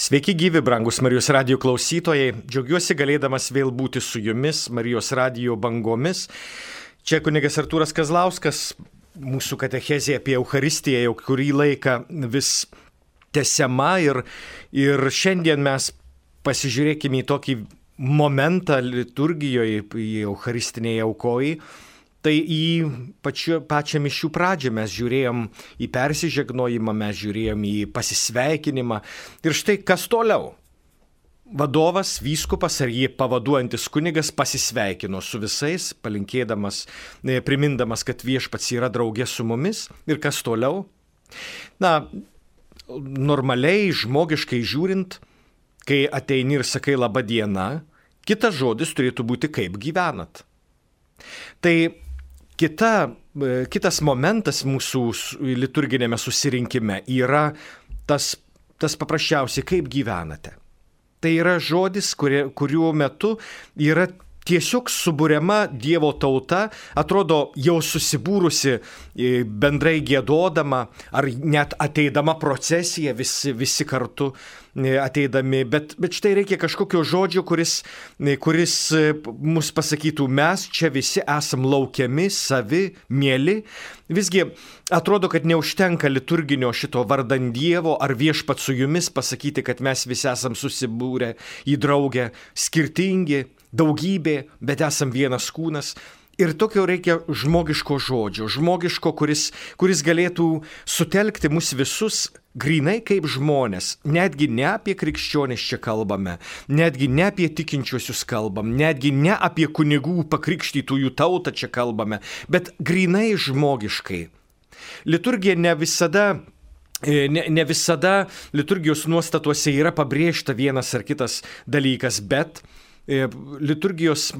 Sveiki gyvi, brangus Marijos radijo klausytojai. Džiaugiuosi galėdamas vėl būti su jumis Marijos radijo bangomis. Čia kunigas Artūras Kazlauskas, mūsų katechezė apie Eucharistiją jau kurį laiką vis tęsiama ir šiandien mes pasižiūrėkime į tokį momentą liturgijoje, į Eucharistinėje aukojai. Tai į pačią mišių pradžią mes žiūrėjom į persižegnojimą, mes žiūrėjom į pasisveikinimą. Ir štai kas toliau. Vadovas, vyskupas ar jį pavaduojantis kunigas pasisveikino su visais, palinkėdamas, primindamas, kad viešpats yra draugė su mumis. Ir kas toliau? Na, normaliai, žmogiškai žiūrint, kai ateini ir sakai laba diena, kitas žodis turėtų būti kaip gyvenat. Tai kitas momentas mūsų liturginėme susirinkime yra tas paprasčiausiai kaip gyvenate. Tai yra žodis, kuriuo metu yra tiesiog suburiama Dievo tauta, atrodo jau susibūrusi bendrai giedodama ar net ateidama procesija visi kartu ateidami, bet štai reikia kažkokio žodžio, kuris mus pasakytų, mes čia visi esam laukiami, savi, mieli. Visgi atrodo, kad neužtenka liturginio šito vardan Dievo ar viešpat su jumis pasakyti, kad mes visi esam susibūrę į draugę, skirtingi, daugybė, bet esam vienas kūnas. Ir tokio reikia žmogiško žodžio, žmogiško, kuris galėtų sutelkti mus visus grynai kaip žmonės. Netgi ne apie krikščionis čia kalbame, netgi ne apie tikinčiuosius kalbam, netgi ne apie kunigų pakrikštytųjų tautą čia kalbame, bet grynai žmogiškai. Liturgija ne visada liturgijos nuostatuose yra pabrėžta vienas ar kitas dalykas, bet liturgijos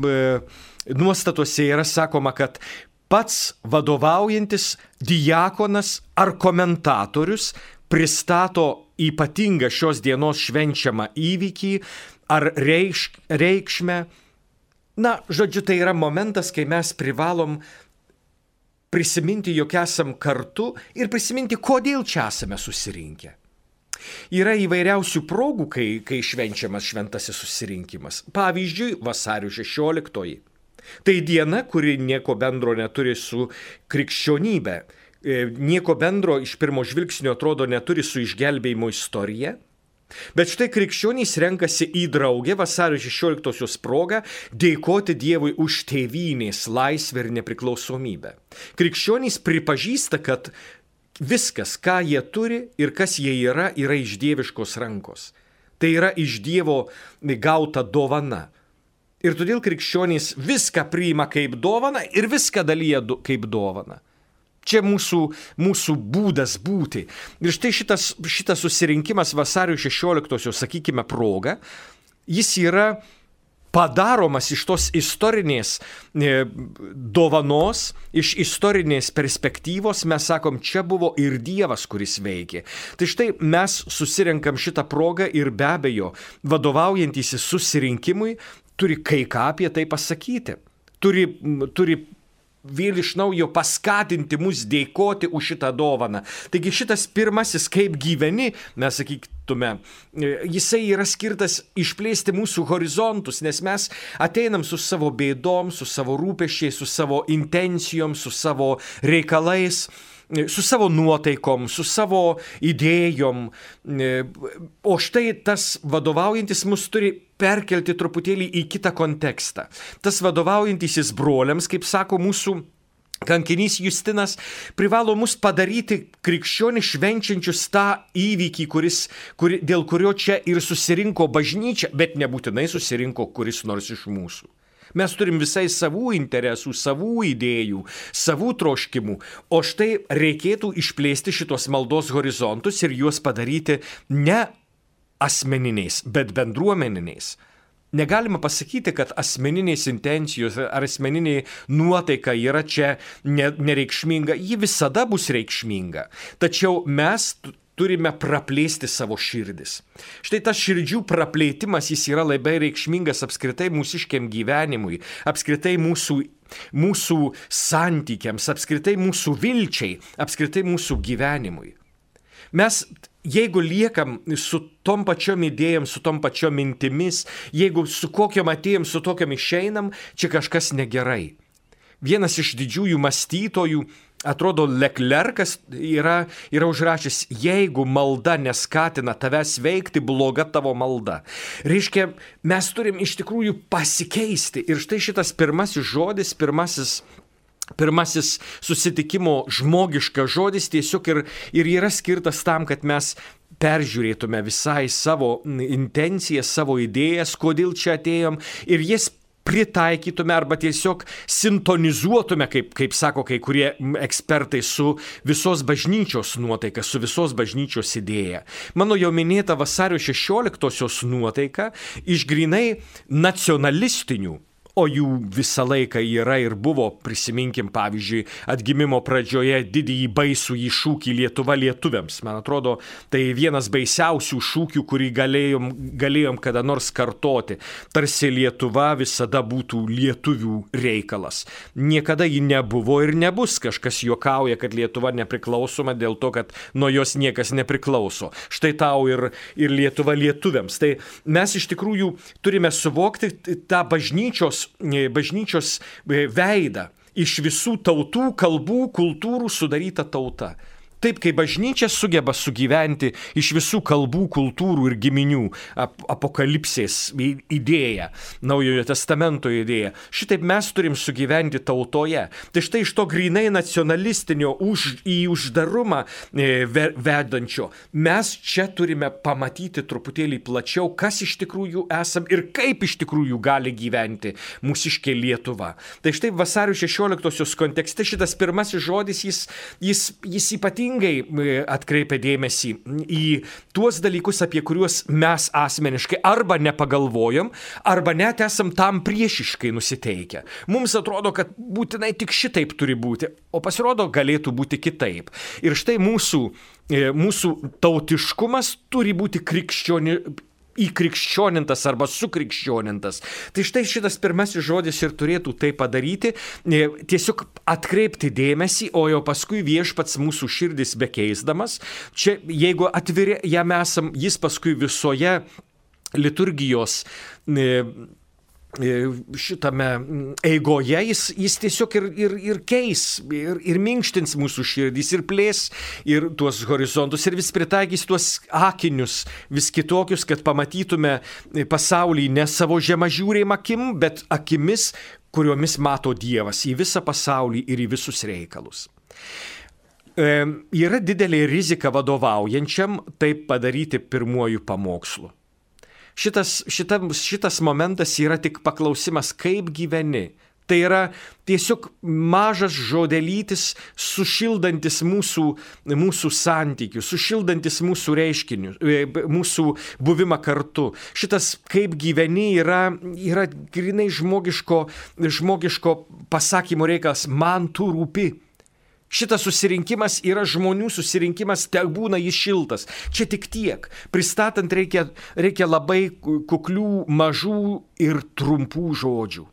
nuostatuose yra sakoma, kad pats vadovaujantis diakonas ar komentatorius pristato ypatingą šios dienos švenčiamą įvykį ar reikšmę. Na, žodžiu, tai yra momentas, kai mes privalom prisiminti, jog esam kartu ir prisiminti, kodėl čia esame susirinkę. Yra įvairiausių progų, kai švenčiamas šventasis susirinkimas. Pavyzdžiui, vasario 16. Tai diena, kuri nieko bendro neturi su krikščionybė. Nieko bendro iš pirmo žvilgsnio atrodo neturi su išgelbėjimo istorija. Bet štai krikščionys renkasi į draugę vasario 16 progą dėkoti Dievui už tėvynės laisvę ir nepriklausomybę. Krikščionys pripažįsta, kad viskas, ką jie turi ir kas jie yra iš dieviškos rankos. Tai yra iš Dievo gauta dovana. Ir todėl krikščionys viską priima kaip dovaną ir viską dalyja kaip dovaną. Čia mūsų būdas būti. Ir štai šitas susirinkimas vasario 16, sakykime, proga, jis yra padaromas iš tos istorinės dovanos, iš istorinės perspektyvos, mes sakom, čia buvo ir Dievas, kuris veikė. Tai štai mes susirenkam šitą progą ir be abejo, vadovaujantysis susirinkimui, turi kai ką apie tai pasakyti. Turi vėl iš naujo paskatinti mus dėkoti už šitą dovaną. Taigi šitas pirmasis kaip gyveni, mes sakytume, jisai yra skirtas išplėsti mūsų horizontus, nes mes ateinam su savo bėdom, su savo rūpesčiais, su savo intencijom, su savo reikalais, su savo nuotaikom, su savo idėjom. O štai tas vadovaujantis mus turi perkelti truputėlį į kitą kontekstą. Tas vadovaujantysis broliams, kaip sako mūsų kankinys Justinas, privalo mus padaryti krikščionį švenčiančius tą įvykį, dėl kurio čia ir susirinko bažnyčia, bet nebūtinai susirinko kuris nors iš mūsų. Mes turim visai savų interesų, savų idėjų, savų troškimų, o štai reikėtų išplėsti šitos maldos horizontus ir juos padaryti ne asmeniniais, bet bendruomeniniais. Negalima pasakyti, kad asmeninės intencijos ar asmeninė nuotaika yra čia nereikšminga, ji visada bus reikšminga, tačiau mes turime praplėsti savo širdis. Štai tas širdžių praplėtimas, jis yra labai reikšmingas apskritai mūsiškiam gyvenimui, apskritai mūsų santykiams, apskritai mūsų vilčiai, apskritai mūsų gyvenimui. Mes jeigu liekam su tom pačiom idėjom, su tom pačiom mintimis, jeigu su kokiam atėjom, su tokiam išeinam, čia kažkas negerai. Vienas iš didžiųjų mąstytojų, atrodo, Leclercas yra užrašęs, jeigu malda neskatina tavęs veikti, bloga tavo malda. Reiškia, mes turim iš tikrųjų pasikeisti. Ir štai šitas pirmasis žodis, pirmasis susitikimo žmogiškas žodis tiesiog ir yra skirtas tam, kad mes peržiūrėtume visai savo intencijas, savo idėjas, kodėl čia atėjom ir jas pritaikytume arba tiesiog sintonizuotume, kaip sako kai kurie ekspertai, su visos bažnyčios nuotaika, su visos bažnyčios idėja. Mano jau minėta vasario 16-osios nuotaika iš grynai nacionalistinių, o jų visą laiką yra ir buvo, prisiminkim, pavyzdžiui, atgimimo pradžioje didįjį baisųjį šūkį Lietuva lietuviams. Man atrodo, tai vienas baisiausių šūkių, kurį galėjom kada nors kartoti. Tarsi Lietuva visada būtų lietuvių reikalas. Niekada ji nebuvo ir nebus. Kažkas juokauja, kad Lietuva nepriklausoma dėl to, kad nuo jos niekas nepriklauso. Štai tau ir Lietuva lietuviams. Tai mes iš tikrųjų turime suvokti tą bažnyčios veidą, iš visų tautų, kalbų, kultūrų sudaryta tauta. Taip, kai bažnyčia sugeba sugyventi iš visų kalbų, kultūrų ir giminių, apokalipsės idėja, Naujojo testamento idėja, šitaip mes turim sugyventi tautoje. Tai štai iš to grynai nacionalistinio į uždarumą vedančio, mes čia turime pamatyti truputėlį plačiau, kas iš tikrųjų esam ir kaip iš tikrųjų gali gyventi mūsiškė Lietuva. Tai štai vasario 16-osios kontekste šitas pirmasis žodis, jis ypatingai atkreipia dėmesį į tuos dalykus, apie kuriuos mes asmeniškai arba nepagalvojom, arba net esam tam priešiškai nusiteikę. Mums atrodo, kad būtinai tik šitaip turi būti, o pasirodo galėtų būti kitaip. Ir štai mūsų tautiškumas turi būti įkrikščionintas arba sukrikščionintas. Tai štai šitas pirmasis žodis ir turėtų tai padaryti, tiesiog atkreipti dėmesį, o jau paskui viešpats mūsų širdis bekeisdamas, čia jeigu atviri jam esam, jis paskui visoje liturgijos šitame eigoje, jis tiesiog ir keis, ir minkštins mūsų širdys, ir plės, ir tuos horizontus, ir vis pritaikys tuos akinius, vis kitokius, kad pamatytume pasaulį ne savo žemažiūrėjim akim, bet akimis, kuriomis mato Dievas į visą pasaulį ir į visus reikalus. Yra didelė rizika vadovaujančiam taip padaryti pirmuoju pamokslu. Šitas momentas yra tik paklausimas, kaip gyveni. Tai yra tiesiog mažas žodelytis, sušildantis mūsų santykius, sušildantis mūsų reiškinius, mūsų buvimą kartu. Šitas kaip gyveni yra grynai žmogiško pasakymo reikalas, man tu rūpi. Šitas susirinkimas yra žmonių susirinkimas, te būna jis šiltas. Čia tik tiek. Pristatant reikia labai kuklių, mažų ir trumpų žodžių.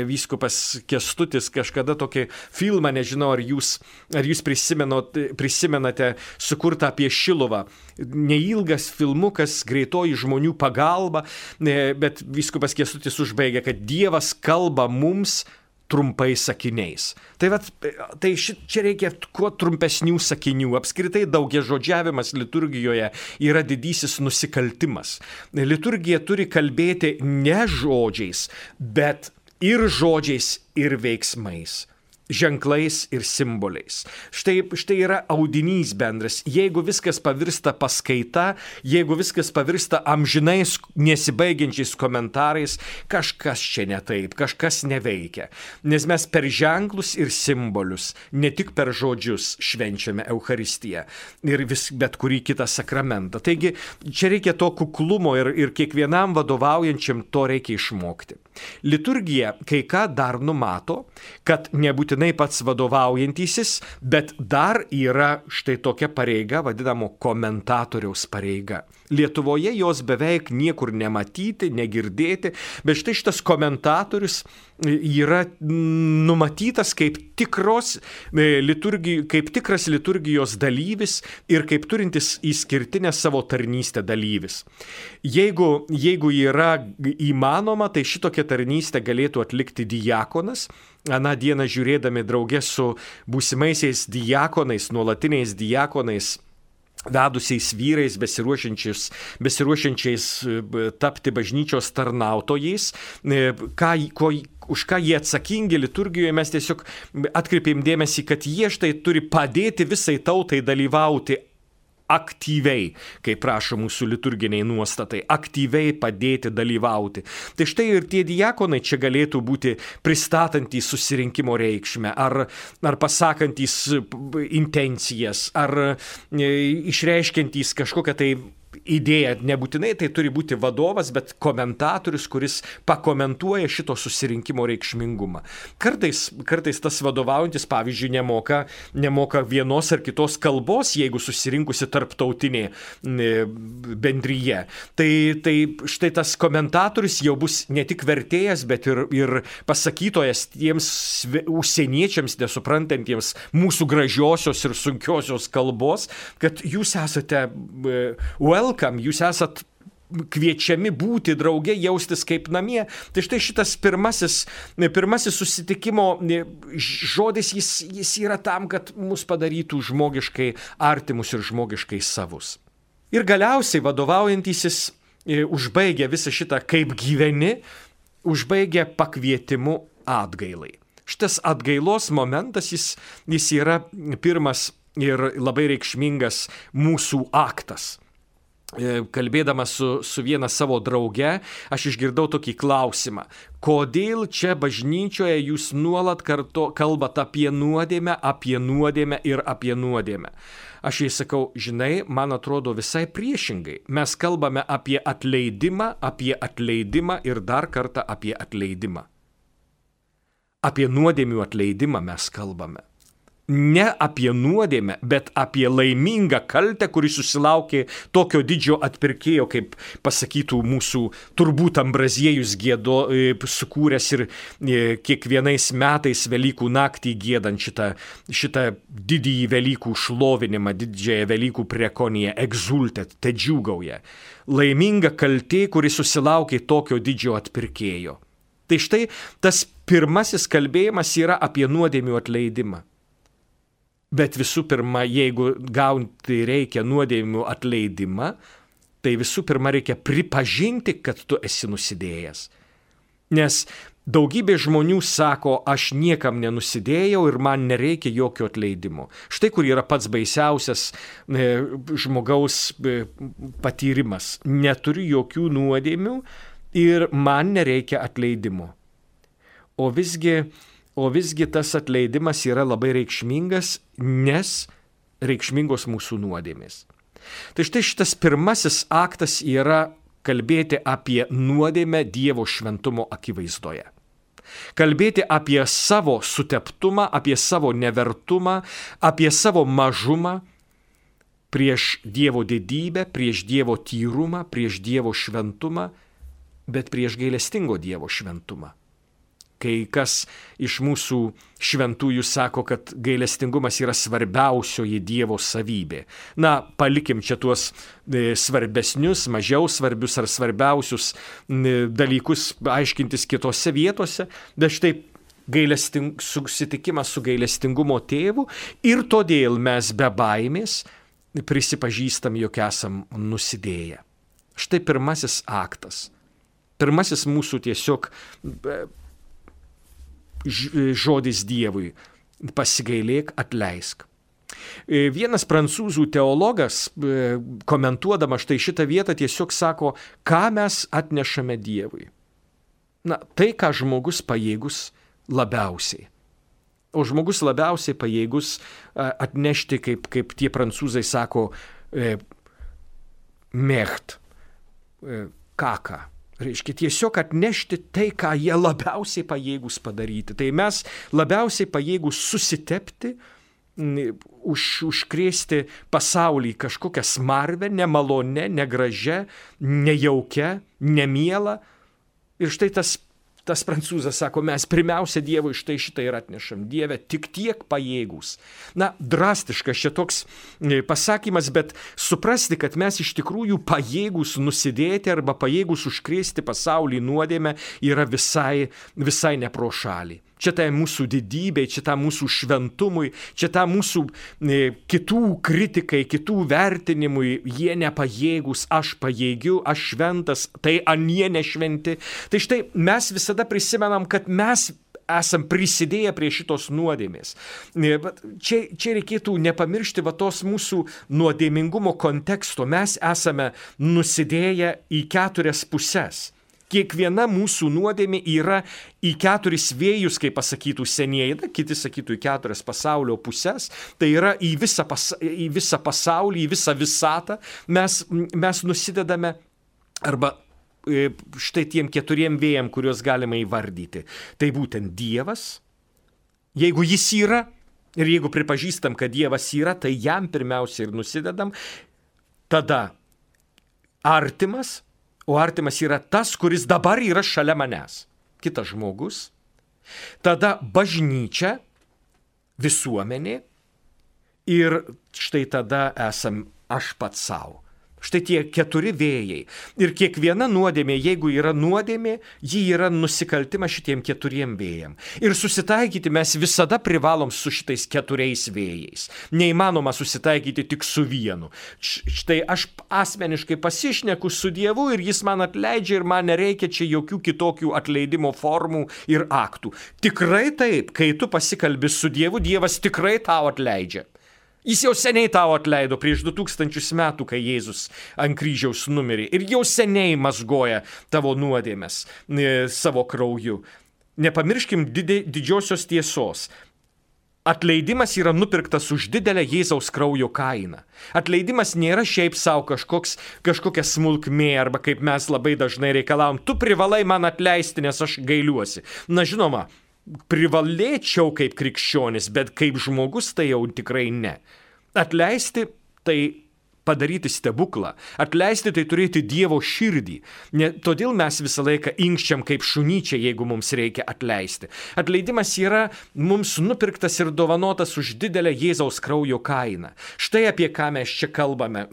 Vyskupas Kęstutis kažkada tokį filmą, nežinau, ar jūs prisimenate, sukurtą apie Šiluvą. Neilgas filmukas, greitoji žmonių pagalba, bet vyskupas Kęstutis užbaigia, kad Dievas kalba mums trumpai sakiniais. Tai čia reikia kuo trumpesnių sakinių. Apskritai daugiažodžiavimas liturgijoje yra didysis nusikaltimas. Liturgija turi kalbėti ne žodžiais, bet ir žodžiais, ir veiksmais. Ženklais ir simboliais. Štai yra audinys bendras. Jeigu viskas pavirsta paskaita, jeigu viskas pavirsta amžinais nesibaigiančiais komentarais, kažkas čia ne taip, kažkas neveikia. Nes mes per ženklus ir simbolius, ne tik per žodžius švenčiame Eucharistiją ir bet kurį kitą sakramentą. Taigi čia reikia to kuklumo ir kiekvienam vadovaujančiam to reikia išmokti. Liturgija kai ką dar numato, kad nebūtinai pats vadovaujantysis, bet dar yra štai tokia pareiga, vadinamo komentatoriaus pareiga. Lietuvoje jos beveik niekur nematyti, negirdėti, bet štai šitas komentatorius yra numatytas kaip tikras liturgijos dalyvis ir kaip turintis išskirtinę savo tarnystę dalyvis. Jeigu yra įmanoma, tai šitokią tarnystę galėtų atlikti diakonas. Aną dieną žiūrėdami drauge su būsimaisiais diakonais, nuolatiniais diakonais, vedusiais vyrais, besiruošiančiais tapti bažnyčios tarnautojais, už ką jie atsakingi liturgijoje, mes tiesiog atkreipėm dėmesį, kad jie štai turi padėti visai tautai dalyvauti aktyviai, kaip prašo mūsų liturginiai nuostatai, aktyviai padėti dalyvauti. Tai štai ir tie diakonai čia galėtų būti pristatantys susirinkimo reikšmę, ar pasakantys intencijas, ar išreiškiantys kažkokią tai idėją. Nebūtinai tai turi būti vadovas, bet komentatorius, kuris pakomentuoja šito susirinkimo reikšmingumą. Kartais tas vadovaujantis, pavyzdžiui, nemoka vienos ar kitos kalbos, jeigu susirinkusi tarptautinė bendryje. Tai štai tas komentatorius jau bus ne tik vertėjas, bet ir pasakytojas tiems užsieniečiams, nesuprantantiems mūsų gražiosios ir sunkiosios kalbos, kad jūs esate welcome, jūs esat kviečiami būti drauge, jaustis kaip namie. Tai štai šitas pirmasis susitikimo žodis, jis yra tam, kad mus padarytų žmogiškai artimus ir žmogiškai savus. Ir galiausiai vadovaujantysis užbaigia visą šitą kaip gyveni, užbaigia pakvietimu atgailai. Šitas atgailos momentas, jis yra pirmas ir labai reikšmingas mūsų aktas. Kalbėdamas su viena savo drauge, aš išgirdau tokį klausimą. Kodėl čia bažnyčioje jūs nuolat kalbat apie nuodėmę ir apie nuodėmę? Aš jai sakau, žinai, man atrodo visai priešingai. Mes kalbame apie atleidimą ir dar kartą apie atleidimą. Apie nuodėmių atleidimą mes kalbame. Ne apie nuodėmę, bet apie laimingą kaltę, kuri susilaukė tokio didžio atpirkėjo, kaip pasakytų mūsų turbūt Ambraziejus sukūręs ir kiekvienais metais Velykų naktį giedant šitą didįjį Velykų šlovinimą, didžiąją Velykų prekoniją, egzultet, te džiūgauja. Laiminga kaltė, kuri susilaukė tokio didžio atpirkėjo. Tai štai tas pirmasis kalbėjimas yra apie nuodėmių atleidimą. Bet visų pirma, jeigu gauti reikia nuodėmių atleidimą, tai visų pirma reikia pripažinti, kad tu esi nusidėjęs. Nes daugybė žmonių sako, aš niekam nenusidėjau ir man nereikia jokio atleidimo. Štai kur yra pats baisiausias žmogaus patyrimas. Neturiu jokių nuodėmių ir man nereikia atleidimo. O visgi tas atleidimas yra labai reikšmingas, nes reikšmingos mūsų nuodėmės. Tai štai šitas pirmasis aktas yra kalbėti apie nuodėmę Dievo šventumo akivaizdoje. Kalbėti apie savo suteptumą, apie savo nevertumą, apie savo mažumą prieš Dievo didybę, prieš Dievo tyrumą, prieš Dievo šventumą, bet prieš gailestingo Dievo šventumą. Kai kas iš mūsų šventųjų sako, kad gailestingumas yra svarbiausioji Dievo savybė. Na, palikim čia tuos svarbesnius, mažiau svarbius ar svarbiausius dalykus aiškintis kitose vietose, bet štai susitikimas su gailestingumo tėvu ir todėl mes be baimės prisipažįstam, jog esam nusidėję. Štai pirmasis aktas. Pirmasis mūsų tiesiog žodis Dievui – pasigailėk, atleisk. Vienas prancūzų teologas, komentuodama štai šitą vietą, tiesiog sako, ką mes atnešame Dievui. Na, tai, ką žmogus pajėgus labiausiai. O žmogus labiausiai pajėgus atnešti, kaip tie prancūzai sako, mecht, kaka. Reiškia tiesiog atnešti tai, ką jie labiausiai pajėgūs padaryti. Tai mes labiausiai pajėgūs susitepti, užkrėsti pasaulį kažkokią smarvę, nemalonę, negražią, nejaukę, nemielą. Ir štai tas prancūzas sako, mes pirmiausia Dievui štai šitą ir atnešam. Dieve, tik tiek pajėgūs. Na, drastiškas čia toks pasakymas, bet suprasti, kad mes iš tikrųjų pajėgūs nusidėti arba pajėgūs užkrėsti pasaulį nuodėmę yra visai ne pro šalį. Čia tai mūsų didybei, čia tai mūsų šventumui, čia tai mūsų kitų kritikai, kitų vertinimui, jie nepajėgūs, aš pajėgiu, aš šventas, tai anie nešventi. Tai štai mes visada prisimenam, kad mes esam prisidėję prie šitos nuodėmės. Čia reikėtų nepamiršti tos mūsų nuodėmingumo konteksto. Mes esame nusidėję į 4 puses. Kiekviena mūsų nuodėmė yra į 4 vėjus, kaip pasakytų senieji, kiti sakytų į 4 pasaulio puses, tai yra į visą pasaulį, į visą visatą. Mes nusidedame arba štai tiem 4 vėjam, kuriuos galima įvardyti. Tai būtent Dievas, jeigu jis yra ir jeigu pripažįstam, kad Dievas yra, tai jam pirmiausia ir nusidedam. Tada artimas. O artimas yra tas, kuris dabar yra šalia manęs. Kitas žmogus. Tada bažnyčia, visuomenė. Ir štai tada esam aš pats savo. Štai tie 4 vėjai. Ir kiekviena nuodėmė, jeigu yra nuodėmė, ji yra nusikaltimas šitiem 4 vėjam. Ir susitaikyti mes visada privalom su šitais 4 vėjais. Neįmanoma susitaikyti tik su vienu. Štai aš asmeniškai pasišneku su Dievu ir jis man atleidžia ir man nereikia čia jokių kitokių atleidimo formų ir aktų. Tikrai taip, kai tu pasikalbi su Dievu, Dievas tikrai tau atleidžia. Jis jau seniai tau atleido prieš 2000 metų, kai Jėzus ant kryžiaus numirė. Ir jau seniai mazgoja tavo nuodėmes savo krauju. Nepamirškim didžiosios tiesos. Atleidimas yra nupirktas už didelę Jėzaus kraujo kainą. Atleidimas nėra šiaip savo kažkokia smulkmė, arba kaip mes labai dažnai reikalavom, tu privalai man atleisti, nes aš gailiuosi. Na žinoma, privalėčiau kaip krikščionis, bet kaip žmogus tai jau tikrai ne. Atleisti tai padaryti stebuklą. Atleisti tai turėti Dievo širdį. Todėl mes visą laiką inkščiam kaip šunyčiai, jeigu mums reikia atleisti. Atleidimas yra mums nupirktas ir dovanotas už didelę Jėzaus kraujo kainą. Štai apie ką mes čia kalbame,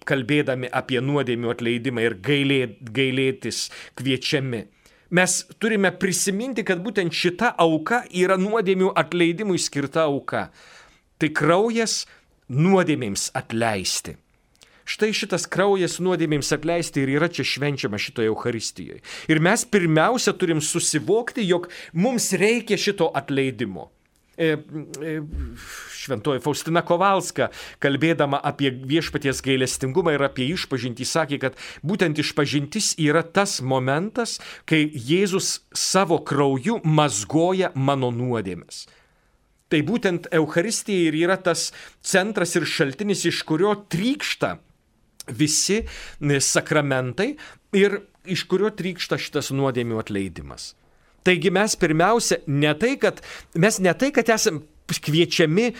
kalbėdami apie nuodėmių atleidimą ir gailėtis kviečiami. Mes turime prisiminti, kad būtent šita auka yra nuodėmių atleidimui skirta auka. Tai kraujas nuodėmėms atleisti. Štai šitas kraujas nuodėmėms atleisti ir yra čia švenčiama šitoje Eucharistijoje. Ir mes pirmiausia turim susivokti, jog mums reikia šito atleidimo. Šventoji Faustina Kovalska, kalbėdama apie viešpaties gailestingumą ir apie išpažintį, sakė, kad būtent išpažintis yra tas momentas, kai Jėzus savo krauju mazgoja mano nuodėmes. Tai būtent Eucharistija ir yra tas centras ir šaltinis, iš kurio trykšta visi sakramentai ir iš kurio trykšta šitas nuodėmių atleidimas. Taigi mes pirmiausia, ne tai, kad esam kviečiami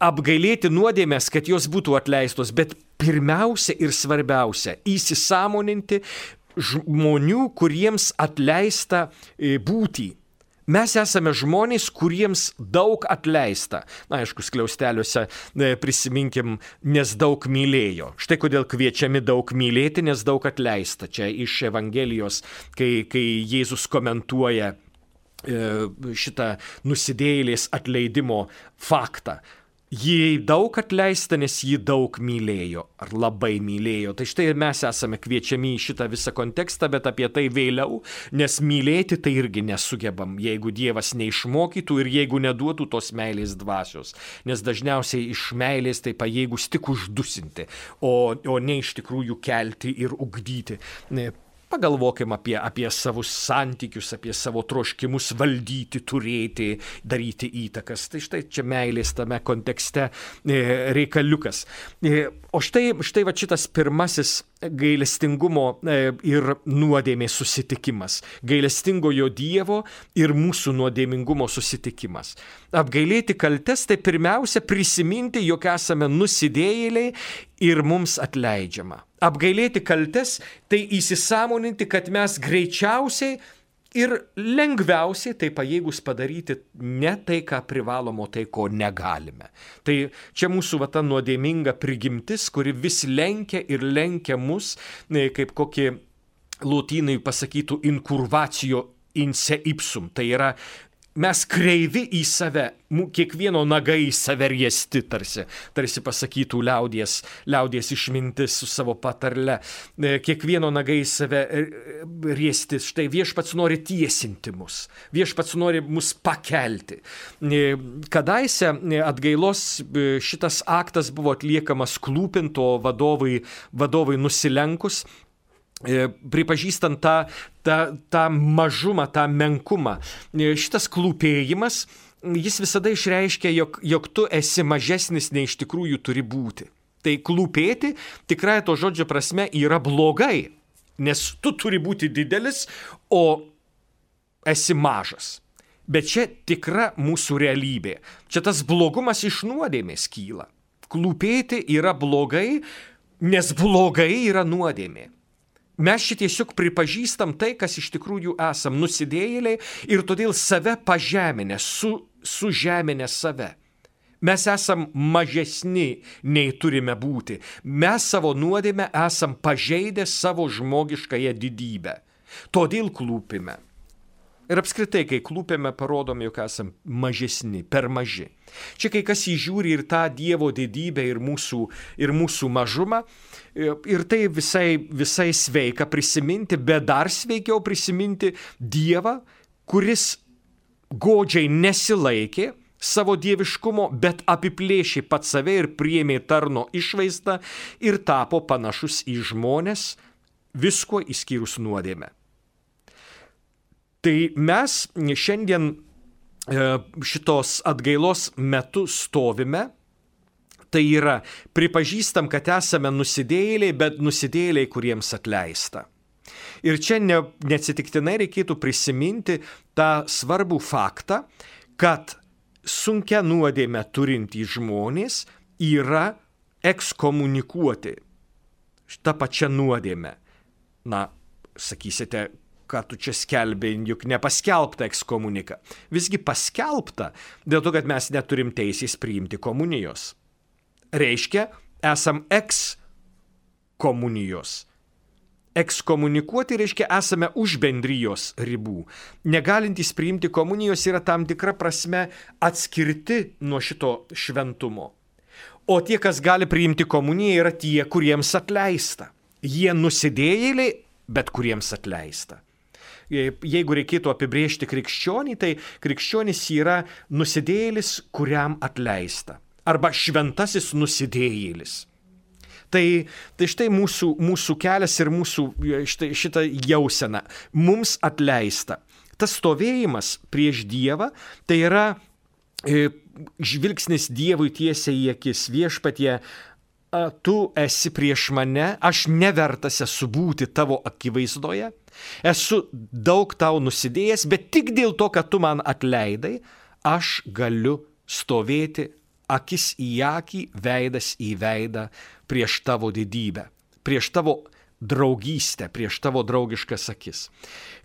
apgailėti nuodėmės, kad jos būtų atleistos, bet pirmiausia ir svarbiausia įsisąmoninti žmonių, kuriems atleista būtį. Mes esame žmonės, kuriems daug atleista. Na, aišku, skliausteliuose prisiminkim, nes daug mylėjo. Štai kodėl kviečiami daug mylėti, nes daug atleista. Čia iš Evangelijos, kai Jėzus komentuoja šitą nusidėjėlės atleidimo faktą. Jį daug atleista, nes jį daug mylėjo, ar labai mylėjo. Tai štai mes esame kviečiami į šitą visą kontekstą, bet apie tai vėliau, nes mylėti tai irgi nesugebam, jeigu Dievas neišmokytų ir jeigu neduotų tos meilės dvasios. Nes dažniausiai iš meilės tai pajėgus tik uždusinti, o ne iš tikrųjų kelti ir ugdyti. Pagalvokim apie savus santykius, apie savo troškimus valdyti, turėti, daryti įtakas. Tai štai čia meilės tame kontekste reikaliukas. O štai va šitas pirmasis gailestingumo ir nuodėmės susitikimas. Gailestingojo Dievo ir mūsų nuodėmingumo susitikimas. Apgailėti kaltes tai pirmiausia prisiminti, jog esame nusidėjėliai ir mums atleidžiama. Apgailėti kaltes tai įsisąmoninti, kad mes greičiausiai ir lengviausiai tai pajėgus padaryti ne tai, ką privalom, o tai, ko negalime. Tai čia mūsų ta nuodėminga prigimtis, kuri vis lenkia ir lenkia mus, kaip kokį lotynai pasakytų incurvatio in se ipsum. Tai yra mes kreivi į save, kiekvieno nagai į save riesti, tarsi pasakytų liaudies išmintis su savo patarle. Kiekvieno nagai į save riesti. Štai viešpats nori tiesinti mus, viešpats nori mus pakelti. Kadaise atgailos šitas aktas buvo atliekamas klūpint, o vadovai nusilenkus, pripažįstant tą mažumą, tą menkumą. Šitas klūpėjimas, jis visada išreiškia, jog tu esi mažesnis nei iš tikrųjų turi būti. Tai klūpėti tikrai to žodžio prasme yra blogai, nes tu turi būti didelis, o esi mažas. Bet čia tikra mūsų realybė. Čia tas blogumas iš nuodėmės kyla. Klūpėti yra blogai, nes blogai yra nuodėmė. Mes tiesiog pripažįstam tai, kas iš tikrųjų esam, nusidėjėliai, ir todėl save pažeminę, sužeminę save. Mes esam mažesni, nei turime būti. Mes savo nuodėmę esam pažeidę savo žmogiškąją didybę. Todėl klūpime. Ir apskritai, kai klūpėme, parodome, jog esam mažesni, per maži. Čia kai kas įžiūri ir tą Dievo didybę, ir mūsų mažumą. Ir tai visai sveika prisiminti, bet dar sveikiau prisiminti Dievą, kuris godžiai nesilaikė savo dieviškumo, bet apiplėšė pats save ir priėmė tarno išvaizdą ir tapo panašus į žmones, visko išskyrus nuodėmę. Tai mes šiandien šitos atgailos metu stovime, tai yra pripažįstam, kad esame nusidėjėliai, bet nusidėjėliai, kuriems atleista. Ir čia neatsitiktinai reikėtų prisiminti tą svarbų faktą, kad sunkia nuodėmę turintys žmonės yra ekskomunikuoti šitą pačią nuodėmę. Na, sakysite, ką tu čia skelbė, juk nepaskelbta ekskomunika. Visgi paskelbta dėl to, kad mes neturim teisės priimti komunijos. Reiškia, esam ekskomunijos. Ekskomunikuoti reiškia, esame už bendrijos ribų. Negalintys priimti komunijos yra tam tikra prasme atskirti nuo šito šventumo. O tie, kas gali priimti komuniją, yra tie, kuriems atleista. Jie nusidėjėliai, bet kuriems atleista. Jeigu reikėtų apibrėžti krikščionį, tai krikščionis yra nusidėjėlis, kuriam atleista. Arba šventasis nusidėjėlis. Tai štai mūsų kelias ir mūsų šitą jauseną. Mums atleista. Tas stovėjimas prieš Dievą, tai yra žvilgsnis Dievui tiesiai į akis. Viešpatie, tu esi prieš mane, aš nevertas esu būti tavo akivaizdoje, esu daug tau nusidėjęs, bet tik dėl to, kad tu man atleidai, aš galiu stovėti akis į akį, veidas į veidą prieš tavo didybę, prieš tavo draugystę, prieš tavo draugiškas akis.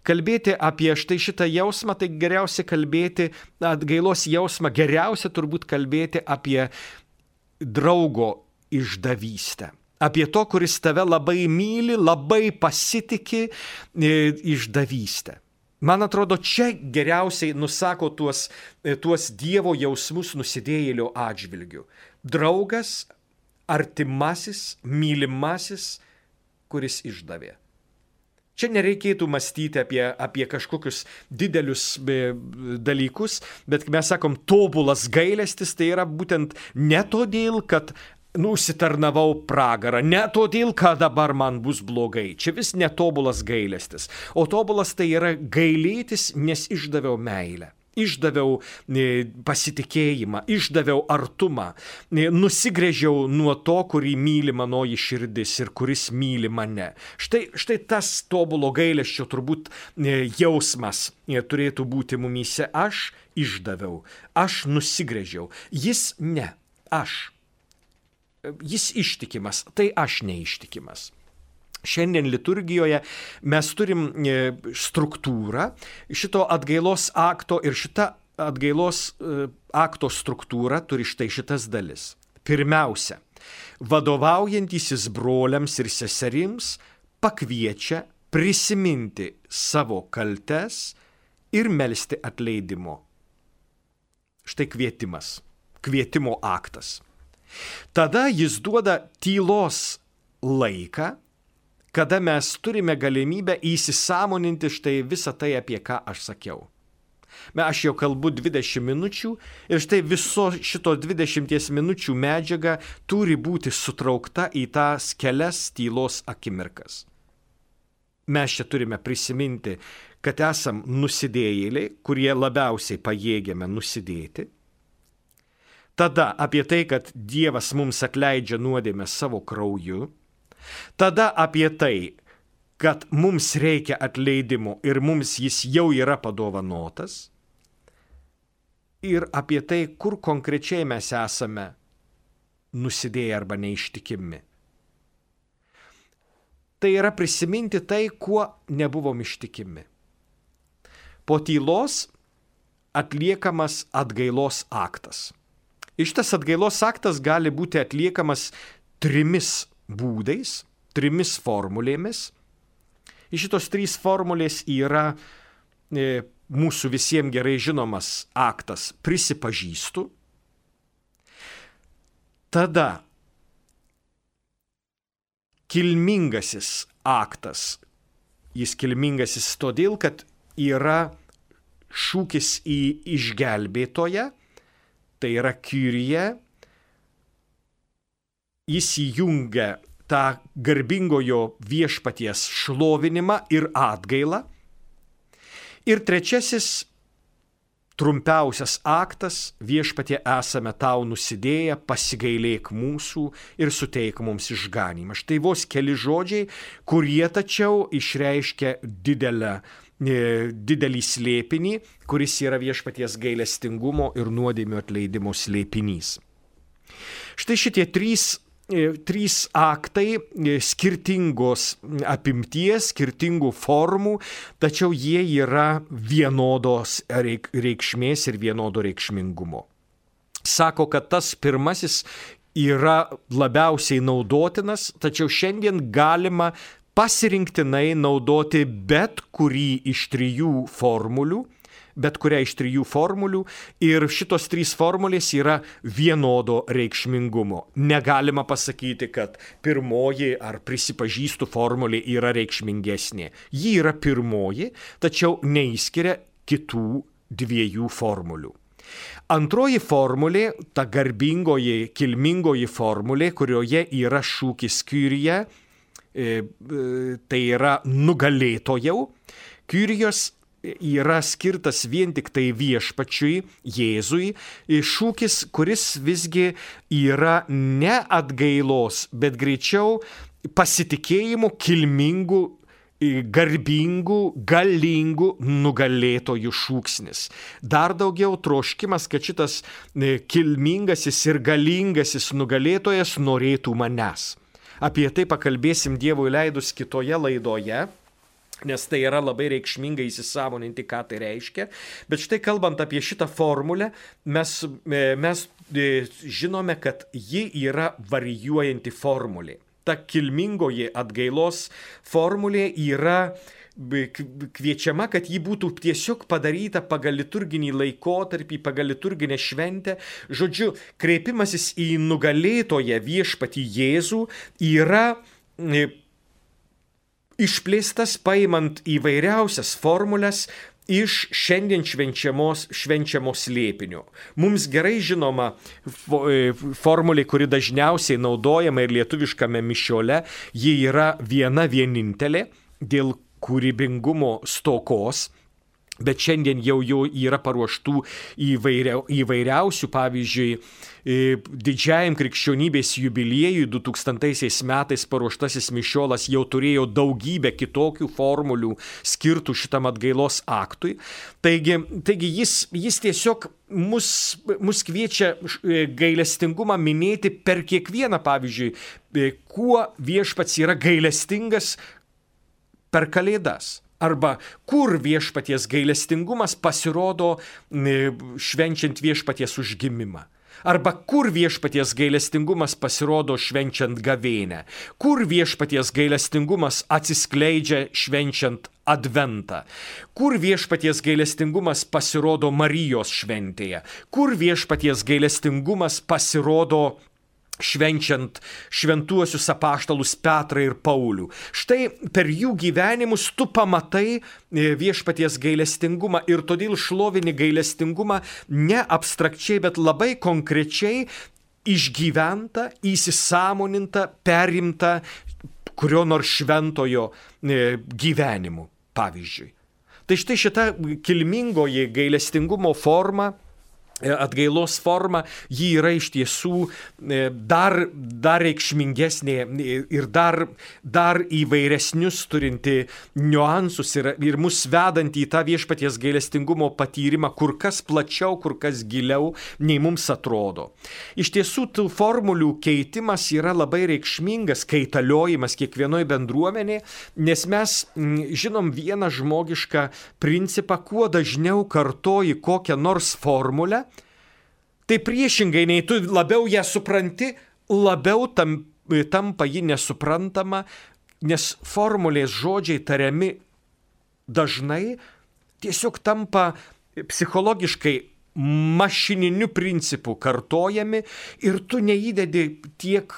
Kalbėti apie štai šitą jausmą, tai geriausia kalbėti, atgailos jausmą, geriausia turbūt kalbėti apie draugo išdavystę. Apie to, kuris tave labai myli, labai pasitiki išdavystę. Man atrodo, čia geriausiai nusako tuos Dievo jausmus nusidėjėlio atžvilgių. Draugas, artimasis, mylimasis, kuris išdavė. Čia nereikėtų mąstyti apie kažkokius didelius dalykus, bet mes sakom, tobulas gailestis tai yra būtent ne todėl, kad užsitarnavau pragarą, ne todėl, kad dabar man bus blogai. Čia vis netobulas gailestis. O tobulas tai yra gailėtis, nes išdaviau meilę. Išdaviau pasitikėjimą, išdaviau artumą, nusigręžiau nuo to, kurį myli manoji širdis ir kuris myli mane. Štai tas tobulo gailesčio turbūt jausmas turėtų būti mumyse. Aš išdaviau, aš nusigręžiau, jis ne, aš. Jis ištikimas, tai aš neištikimas. Šiandien liturgijoje mes turim struktūrą šito atgailos akto ir šita atgailos akto struktūra turi štai šitas dalis. Pirmiausia, vadovaujantysis broliams ir seserims pakviečia prisiminti savo kaltes ir melsti atleidimo. Štai kvietimas, kvietimo aktas. Tada jis duoda tylos laiką, kada mes turime galimybę įsisąmoninti štai visą tai, apie ką aš sakiau. Aš jau kalbu 20 minučių ir štai viso šito 20 minučių medžiaga turi būti sutraukta į tas kelias tylos akimirkas. Mes čia turime prisiminti, kad esam nusidėjėliai, kurie labiausiai pajėgiame nusidėti. Tada apie tai, kad Dievas mums atleidžia nuodėmę savo krauju. Tada apie tai, kad mums reikia atleidimo ir mums jis jau yra padovanotas. Ir apie tai, kur konkrečiai mes esame nusidėję arba neištikimi. Tai yra prisiminti tai, kuo nebuvom ištikimi. Po tylos atliekamas atgailos aktas. Ir šitas atgailos aktas gali būti atliekamas 3 būdais, 3 formulėmis. Ir šitos 3 formulės yra mūsų visiems gerai žinomas aktas prisipažįstu. Tada kilmingasis aktas. Jis kilmingasis todėl, kad yra šūkis į išgelbėtoją. Tai yra Kyrie, jis įjungia tą garbingojo viešpaties šlovinimą ir atgailą. Ir trečiasis, trumpiausias aktas, viešpatie esame tau nusidėję, pasigailėk mūsų ir suteik mums išganymą. Štai vos keli žodžiai, kurie tačiau išreiškia didelį slėpinį, kuris yra viešpaties gailestingumo ir nuodėmių atleidimo slėpinys. Štai šitie 3 aktai skirtingos apimties, skirtingų formų, tačiau jie yra vienodos reikšmės ir vienodo reikšmingumo. Sako, kad tas pirmasis yra labiausiai naudotinas, tačiau šiandien galima pasirinktinai naudoti bet kurią iš 3 formulių ir šitos 3 formulės yra vienodo reikšmingumo. Negalima pasakyti, kad pirmoji ar prisipažįstu formulė yra reikšmingesnė. Ji yra pirmoji, tačiau neįskiria kitų 2 formulių. Antroji formulė, ta garbingoji, kilmingoji formulė, kurioje yra šūkis Kyrie, tai yra nugalėtojau. Kyrijos yra skirtas vien tik tai viešpačiui, Jėzui, šūkis, kuris visgi yra ne atgailos, bet greičiau pasitikėjimo kilmingų, garbingų, galingų nugalėtojų šūksnis. Dar daugiau troškimas, kad šitas kilmingasis ir galingasis nugalėtojas norėtų manęs. Apie tai pakalbėsim Dievui leidus kitoje laidoje, nes tai yra labai reikšminga įsisąmoninti, ką tai reiškia. Bet štai kalbant apie šitą formulę, mes žinome, kad ji yra varijuojanti formulė. Ta kilmingoji atgailos formulė yra kviečiama, kad ji būtų tiesiog padaryta pagal liturginį laikotarpį, pagal liturginę šventę. Žodžiu, kreipimasis į nugalėtoją viešpatį Jėzų yra išplėstas paimant įvairiausias formulės iš šiandien švenčiamo slėpinio. Mums gerai žinoma formulė, kuri dažniausiai naudojama ir lietuviškame mišiole, ji yra viena vienintelė dėl kūrybingumo stokos. Bet šiandien jau yra paruoštų įvairiausių, pavyzdžiui, didžiajam krikščionybės jubiliejui 2000 metais paruoštasis mišiolas jau turėjo daugybę kitokių formulių skirtų šitam atgailos aktui. Taigi jis tiesiog mus kviečia gailestingumą minėti per kiekvieną, pavyzdžiui, kuo viešpats yra gailestingas per Kalėdas. Arba kur viešpaties gailestingumas pasirodo švenčiant viešpaties užgimimą. Arba kur viešpaties gailestingumas pasirodo švenčiant gavėnią. Kur viešpaties gailestingumas atsiskleidžia švenčiant adventą. Kur viešpaties gailestingumas pasirodo Marijos šventėje. Kur viešpaties gailestingumas pasirodo švenčiant šventuosius apaštalus Petrą ir Paulių. Štai per jų gyvenimus tu pamatai viešpaties gailestingumą ir todėl šlovini gailestingumą ne abstrakčiai, bet labai konkrečiai išgyventa, įsisąmoninta, perimta kurio nors šventojo gyvenimu, pavyzdžiui. Tai štai šita kilmingoji gailestingumo forma, atgailos forma, ji yra iš tiesų dar reikšmingesnė ir dar įvairesnius turinti niuansus ir mus vedanti į tą viešpaties gailestingumo patyrimą kur kas plačiau, kur kas giliau, nei mums atrodo. Iš tiesų, tų formulių keitimas yra labai reikšmingas, kaitaliojimas kiekvienoje bendruomenėje, nes mes žinom vieną žmogišką principą, kuo dažniau kartoji kokią nors formulę, tai priešingai, nei tu labiau ją supranti, labiau tampa ji nesuprantama, nes formulės žodžiai tariami dažnai tiesiog tampa psichologiškai mašininiu principu kartojami ir tu neįdedi tiek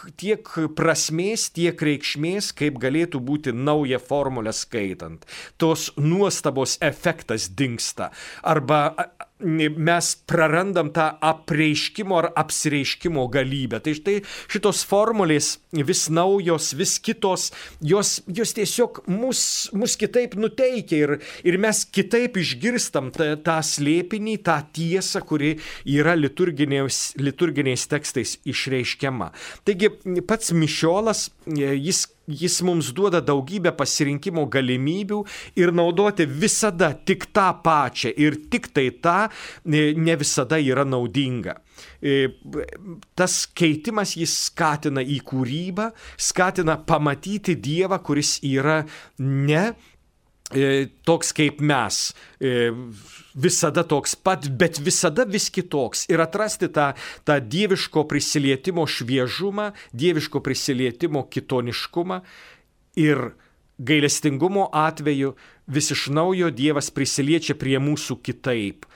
prasmės, tiek reikšmės, kaip galėtų būti nauja formulė skaitant. Tos nuostabos efektas dingsta. Arba mes prarandam tą apreiškimo ar apsireiškimo galybę. Tai štai šitos formulės vis naujos, vis kitos, jos tiesiog mus kitaip nuteikia ir mes kitaip išgirstam tą slėpinį, tą tiesą, kuri yra liturginiais tekstais išreiškiama. Taigi pats mišiolas, jis mums duoda daugybę pasirinkimo galimybių ir naudoti visada tik tą pačią ir tik tai tą ne visada yra naudinga. Tas keitimas jis skatina į kūrybą, skatina pamatyti Dievą, kuris yra ne toks kaip mes, visada toks pat, bet visada vis kitoks ir atrasti tą dieviško prisilietimo šviežumą, dieviško prisilietimo kitoniškumą ir gailestingumo atveju vis iš naujo Dievas prisiliečia prie mūsų kitaip,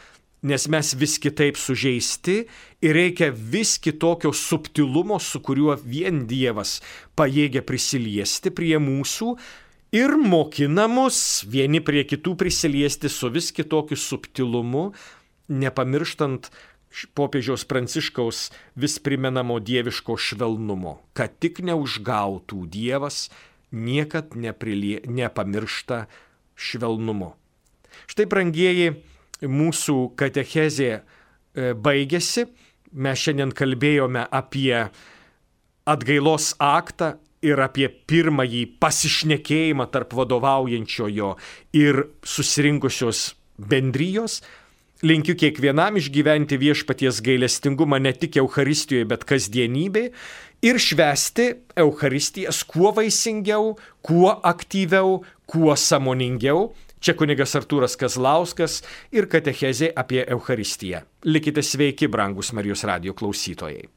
nes mes vis kitaip sužeisti ir reikia vis kitokio subtilumo, su kuriuo vien Dievas pajėgia prisiliesti prie mūsų, ir mokina mus vieni prie kitų prisiliesti su vis kitokiu subtilumu, nepamirštant popiežiaus Pranciškaus vis primenamo dieviško švelnumo, kad tik neužgautų Dievas niekad nepamiršta švelnumo. Štai, brangieji, mūsų katechezė baigėsi. Mes šiandien kalbėjome apie atgailos aktą ir apie pirmąjį pasišnekėjimą tarp vadovaujančiojo ir susirinkusios bendrijos. Linkiu kiekvienam išgyventi viešpaties gailestingumą ne tik Eucharistijoje, bet kasdienybėje ir švęsti Eucharistijas kuo vaisingiau, kuo aktyviau, kuo sąmoningiau. Čia kunigas Artūras Kazlauskas ir katechezė apie Eucharistiją. Likite sveiki, brangūs Marijos radijo klausytojai.